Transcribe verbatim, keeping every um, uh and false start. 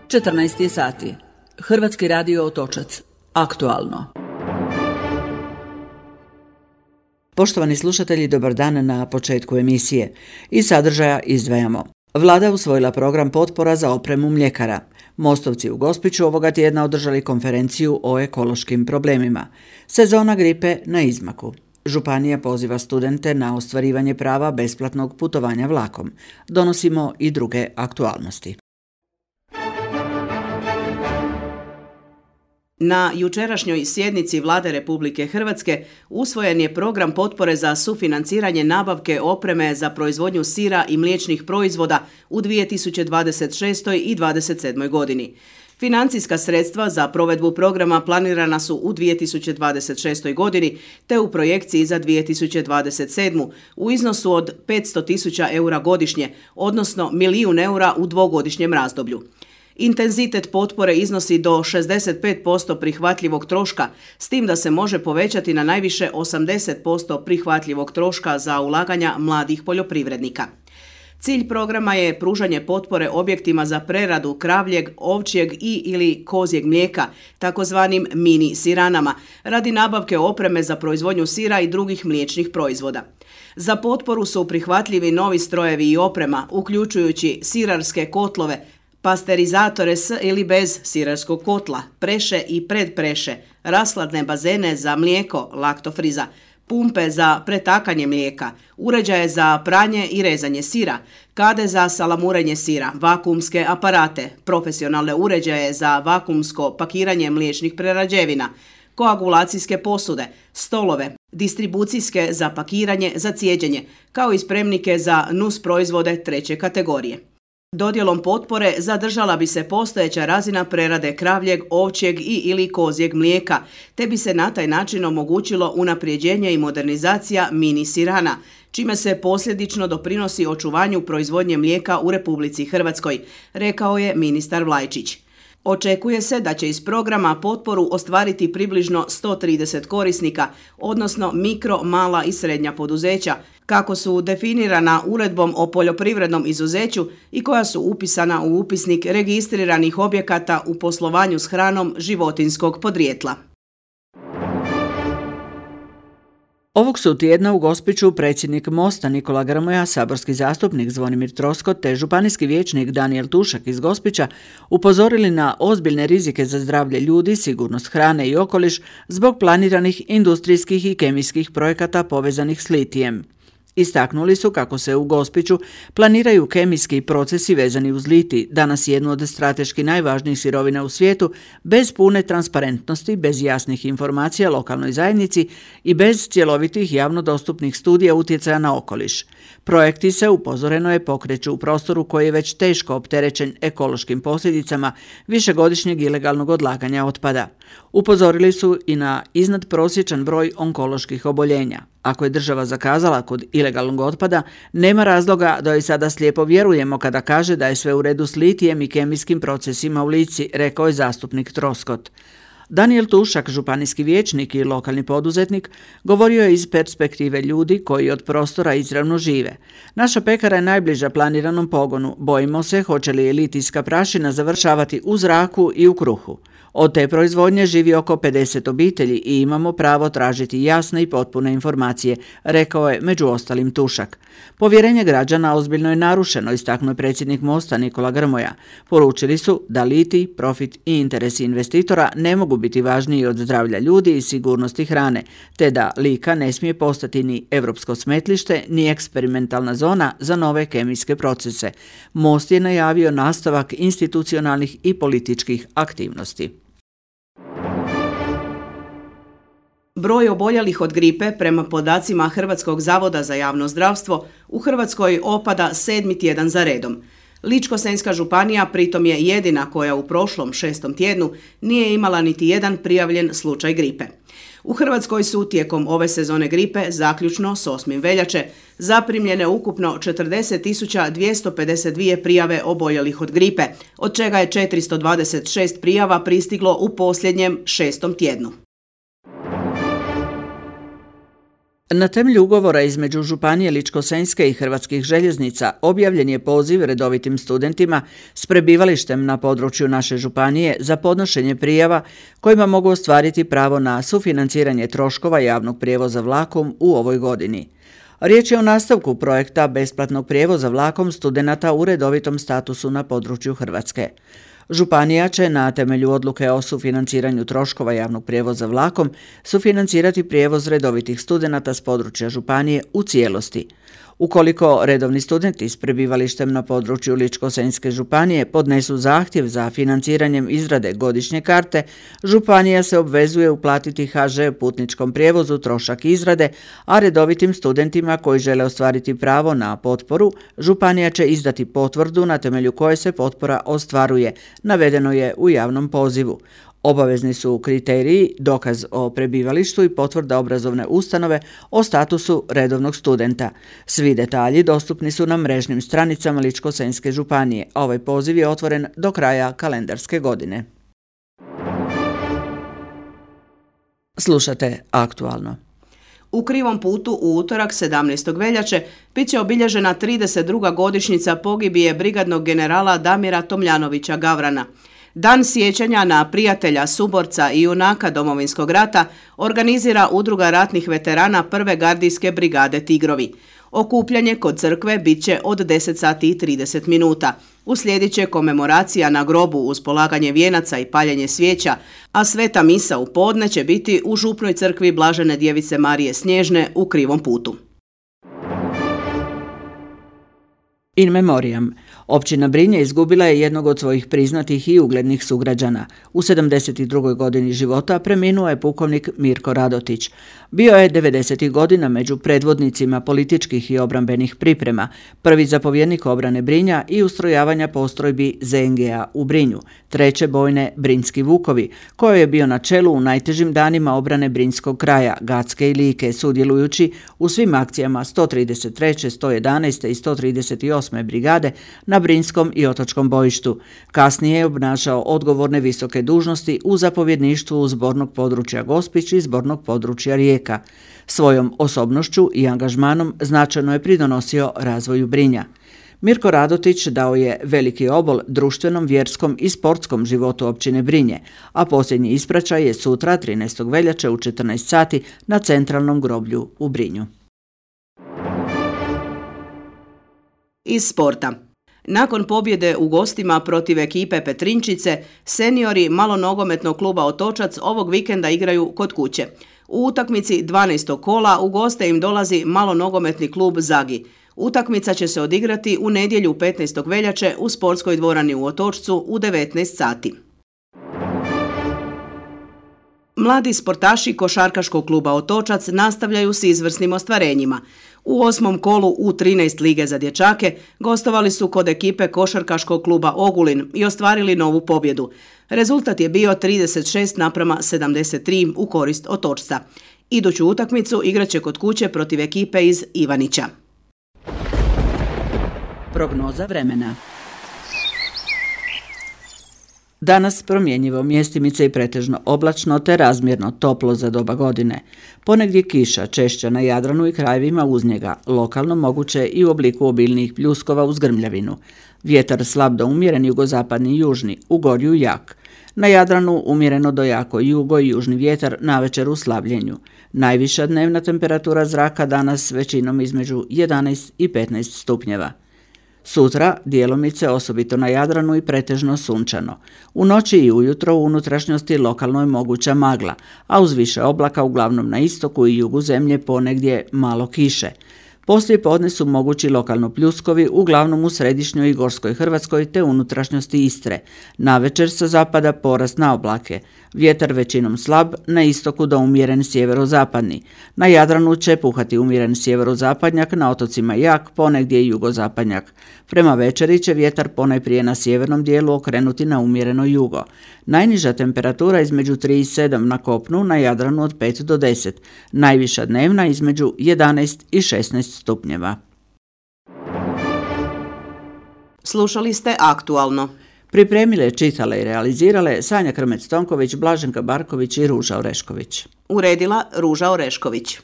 četrnaest je sati. Hrvatski radio Otočac. Aktualno. Poštovani slušatelji, dobar dan na početku emisije. Iz sadržaja izdvajamo. Vlada usvojila program potpora za opremu mljekara. Mostovci u Gospiću ovoga tjedna održali konferenciju o ekološkim problemima. Sezona gripe na izmaku. Županija poziva studente na ostvarivanje prava besplatnog putovanja vlakom. Donosimo i druge aktualnosti. Na jučerašnjoj sjednici Vlade Republike Hrvatske usvojen je program potpore za sufinanciranje nabavke opreme za proizvodnju sira i mliječnih proizvoda u dvije tisuće dvadeset šestoj i dvadeset sedmoj godini. Financijska sredstva za provedbu programa planirana su u dvije tisuće dvadeset šestoj godini te u projekciji za dvije tisuće dvadeset sedmu u iznosu od petsto tisuća eura godišnje, odnosno milijun eura u dvogodišnjem razdoblju. Intenzitet potpore iznosi do šezdeset pet posto prihvatljivog troška, s tim da se može povećati na najviše osamdeset posto prihvatljivog troška za ulaganja mladih poljoprivrednika. Cilj programa je pružanje potpore objektima za preradu kravljeg, ovčjeg i ili kozjeg mlijeka, takozvanim mini siranama, radi nabavke opreme za proizvodnju sira i drugih mliječnih proizvoda. Za potporu su prihvatljivi novi strojevi i oprema, uključujući sirarske kotlove, pasterizatore s ili bez sirarskog kotla, preše i predpreše, rashladne bazene za mlijeko, laktofriza, pumpe za pretakanje mlijeka, uređaje za pranje i rezanje sira, kade za salamurenje sira, vakuumske aparate, profesionalne uređaje za vakuumsko pakiranje mliječnih prerađevina, koagulacijske posude, stolove, distribucijske za pakiranje za cijeđenje, kao i spremnike za nus proizvode treće kategorije. Dodjelom potpore zadržala bi se postojeća razina prerade kravljeg, ovčjeg i ili kozjeg mlijeka, te bi se na taj način omogućilo unapređenje i modernizacija mini sirana, čime se posljedično doprinosi očuvanju proizvodnje mlijeka u Republici Hrvatskoj, rekao je ministar Vlajčić. Očekuje se da će iz programa potporu ostvariti približno sto trideset korisnika, odnosno mikro, mala i srednja poduzeća, kako su definirana uredbom o poljoprivrednom izuzeću i koja su upisana u upisnik registriranih objekata u poslovanju s hranom životinjskog podrijetla. Ovog su tjedna u Gospiću predsjednik Mosta Nikola Grmoja, saborski zastupnik Zvonimir Troskot te županijski vijećnik Danijel Tušak iz Gospića upozorili na ozbiljne rizike za zdravlje ljudi, sigurnost hrane i okoliš zbog planiranih industrijskih i kemijskih projekata povezanih s litijem. Istaknuli su kako se u Gospiću planiraju kemijski procesi vezani uz litij, danas jednu od strateški najvažnijih sirovina u svijetu, bez pune transparentnosti, bez jasnih informacija lokalnoj zajednici i bez cjelovitih javno dostupnih studija utjecaja na okoliš. Projekti se, upozoreno je, pokreću u prostoru koji je već teško opterećen ekološkim posljedicama višegodišnjeg ilegalnog odlaganja otpada. Upozorili su i na iznadprosječan broj onkoloških oboljenja. Ako je država zakazala kod ilegalnog otpada, nema razloga da joj sada slijepo vjerujemo kada kaže da je sve u redu s litijem i kemijskim procesima u Lici, rekao je zastupnik Troskot. Danijel Tušak, županijski vijećnik i lokalni poduzetnik, govorio je iz perspektive ljudi koji od prostora izravno žive. Naša pekara je najbliža planiranom pogonu. Bojimo se hoće li litijska prašina završavati u zraku i u kruhu. Od te proizvodnje živi oko pedeset obitelji i imamo pravo tražiti jasne i potpune informacije, rekao je među ostalim Tušak. Povjerenje građana ozbiljno je narušeno, istaknuo je predsjednik Mosta Nikola Grmoja. Poručili su da litij, profit i interesi investitora ne mogu biti važniji od zdravlja ljudi i sigurnosti hrane, te da Lika ne smije postati ni europsko smetlište, ni eksperimentalna zona za nove kemijske procese. Most je najavio nastavak institucionalnih i političkih aktivnosti. Broj oboljelih od gripe, prema podacima Hrvatskog zavoda za javno zdravstvo, u Hrvatskoj opada sedmi tjedan za redom. Ličko-senjska županija pritom je jedina koja u prošlom šestom tjednu nije imala niti jedan prijavljen slučaj gripe. U Hrvatskoj su tijekom ove sezone gripe, zaključno s osmog veljače, zaprimljene ukupno četrdeset tisuća dvjesto pedeset dvije prijave oboljelih od gripe, od čega je četiristo dvadeset šest prijava pristiglo u posljednjem šestom tjednu. Na temelju ugovora između Županije Ličko-senjske i Hrvatskih željeznica objavljen je poziv redovitim studentima s prebivalištem na području naše županije za podnošenje prijava kojima mogu ostvariti pravo na sufinanciranje troškova javnog prijevoza vlakom u ovoj godini. Riječ je o nastavku projekta besplatnog prijevoza vlakom studenata u redovitom statusu na području Hrvatske. Županija će na temelju odluke o sufinanciranju troškova javnog prijevoza vlakom sufinancirati prijevoz redovitih studenata s područja županije u cijelosti. Ukoliko redovni studenti s prebivalištem na području Ličko-senjske županije podnesu zahtjev za financiranjem izrade godišnje karte, županija se obvezuje uplatiti ha že putničkom prijevozu trošak izrade, a redovitim studentima koji žele ostvariti pravo na potporu, županija će izdati potvrdu na temelju koje se potpora ostvaruje, navedeno je u javnom pozivu. Obavezni su kriteriji, dokaz o prebivalištu i potvrda obrazovne ustanove o statusu redovnog studenta. Svi detalji dostupni su na mrežnim stranicama Ličko-senjske županije, a ovaj poziv je otvoren do kraja kalendarske godine. Slušate Aktualno. U Krivom putu u utorak sedamnaestog veljače bit će obilježena trideset druga godišnjica pogibije brigadnog generala Damira Tomljanovića Gavrana. Dan sjećanja na prijatelja, suborca i junaka Domovinskog rata organizira Udruga ratnih veterana prve gardijske brigade Tigrovi. Okupljanje kod crkve bit će od deset sati i trideset minuta. Uslijedit će komemoracija na grobu uz polaganje vijenaca i paljenje svijeća, a sveta misa u podne će biti u župnoj crkvi Blažene djevice Marije Snježne u Krivom putu. In memoriam. Općina Brinje izgubila je jednog od svojih priznatih i uglednih sugrađana. U sedamdeset drugoj godini života preminuo je pukovnik Mirko Radotić. Bio je devedesetih godina među predvodnicima političkih i obrambenih priprema, prvi zapovjednik obrane Brinja i ustrojavanja postrojbi ze en ge a u Brinju, treće bojne Brinjski Vukovi, kojoj je bio na čelu u najtežim danima obrane Brinjskog kraja, Gacke i Like, sudjelujući u svim akcijama sto trideset treće, sto jedanaeste i sto trideset osme brigade na Brinjskom i Otočkom bojištu. Kasnije je obnašao odgovorne visoke dužnosti u zapovjedništvu zbornog područja Gospić i zbornog područja Rijeka. Svojom osobnošću i angažmanom značajno je pridonosio razvoju Brinja. Mirko Radotić dao je veliki obol društvenom, vjerskom i sportskom životu općine Brinje, a posljednji ispraćaj je sutra trinaestog veljače u četrnaest sati na centralnom groblju u Brinju. Iz sporta. Nakon pobjede u gostima protiv ekipe Petrinčice, seniori malonogometnog kluba Otočac ovog vikenda igraju kod kuće. U utakmici dvanaestog kola u goste im dolazi malonogometni klub Zagi. Utakmica će se odigrati u nedjelju petnaestog veljače u sportskoj dvorani u Otočcu u devetnaest sati. Mladi sportaši košarkaškog kluba Otočac nastavljaju s izvrsnim ostvarenjima. U osmom kolu u trinaest lige za dječake gostovali su kod ekipe košarkaškog kluba Ogulin i ostvarili novu pobjedu. Rezultat je bio trideset šest naprama sedamdeset tri u korist Otočca. Iduću utakmicu igraće kod kuće protiv ekipe iz Ivanića. Prognoza vremena. Danas promjenjivo, mjestimice i pretežno oblačno te razmjerno toplo za doba godine. Ponegdje kiša, češća na Jadranu i krajevima uz njega, lokalno moguće i u obliku obilnijih pljuskova uz grmljavinu. Vjetar slab do umjeren jugozapadni i južni, u gorju jak. Na Jadranu umjereno do jako jugo i južni vjetar, navečer u slabljenju. Najviša dnevna temperatura zraka danas većinom između jedanaest i petnaest stupnjeva. Sutra djelomice osobito na Jadranu i pretežno sunčano. U noći i ujutro u unutrašnjosti lokalno je moguća magla, a uz više oblaka uglavnom na istoku i jugu zemlje ponegdje malo kiše. Poslije podne su mogući lokalno pljuskovi, uglavnom u središnjoj i gorskoj Hrvatskoj te unutrašnjosti Istre. Navečer sa zapada porast na oblake. Vjetar većinom slab, na istoku do umjeren sjeverozapadni. Na Jadranu će puhati umjeren sjeverozapadnjak, na otocima jak, ponegdje i jugozapadnjak. Prema večeri će vjetar ponajprije na sjevernom dijelu okrenuti na umjereno jugo. Najniža temperatura između tri i sedam na kopnu, na Jadranu od pet do deset. Najviša dnevna između jedanaest i šesnaest stupnjeva. Slušali ste Aktualno. Pripremile, čitale i realizirale Sanja Krmec-Tonković, Blaženka Barković i Ruža Orešković. Uredila Ruža Orešković.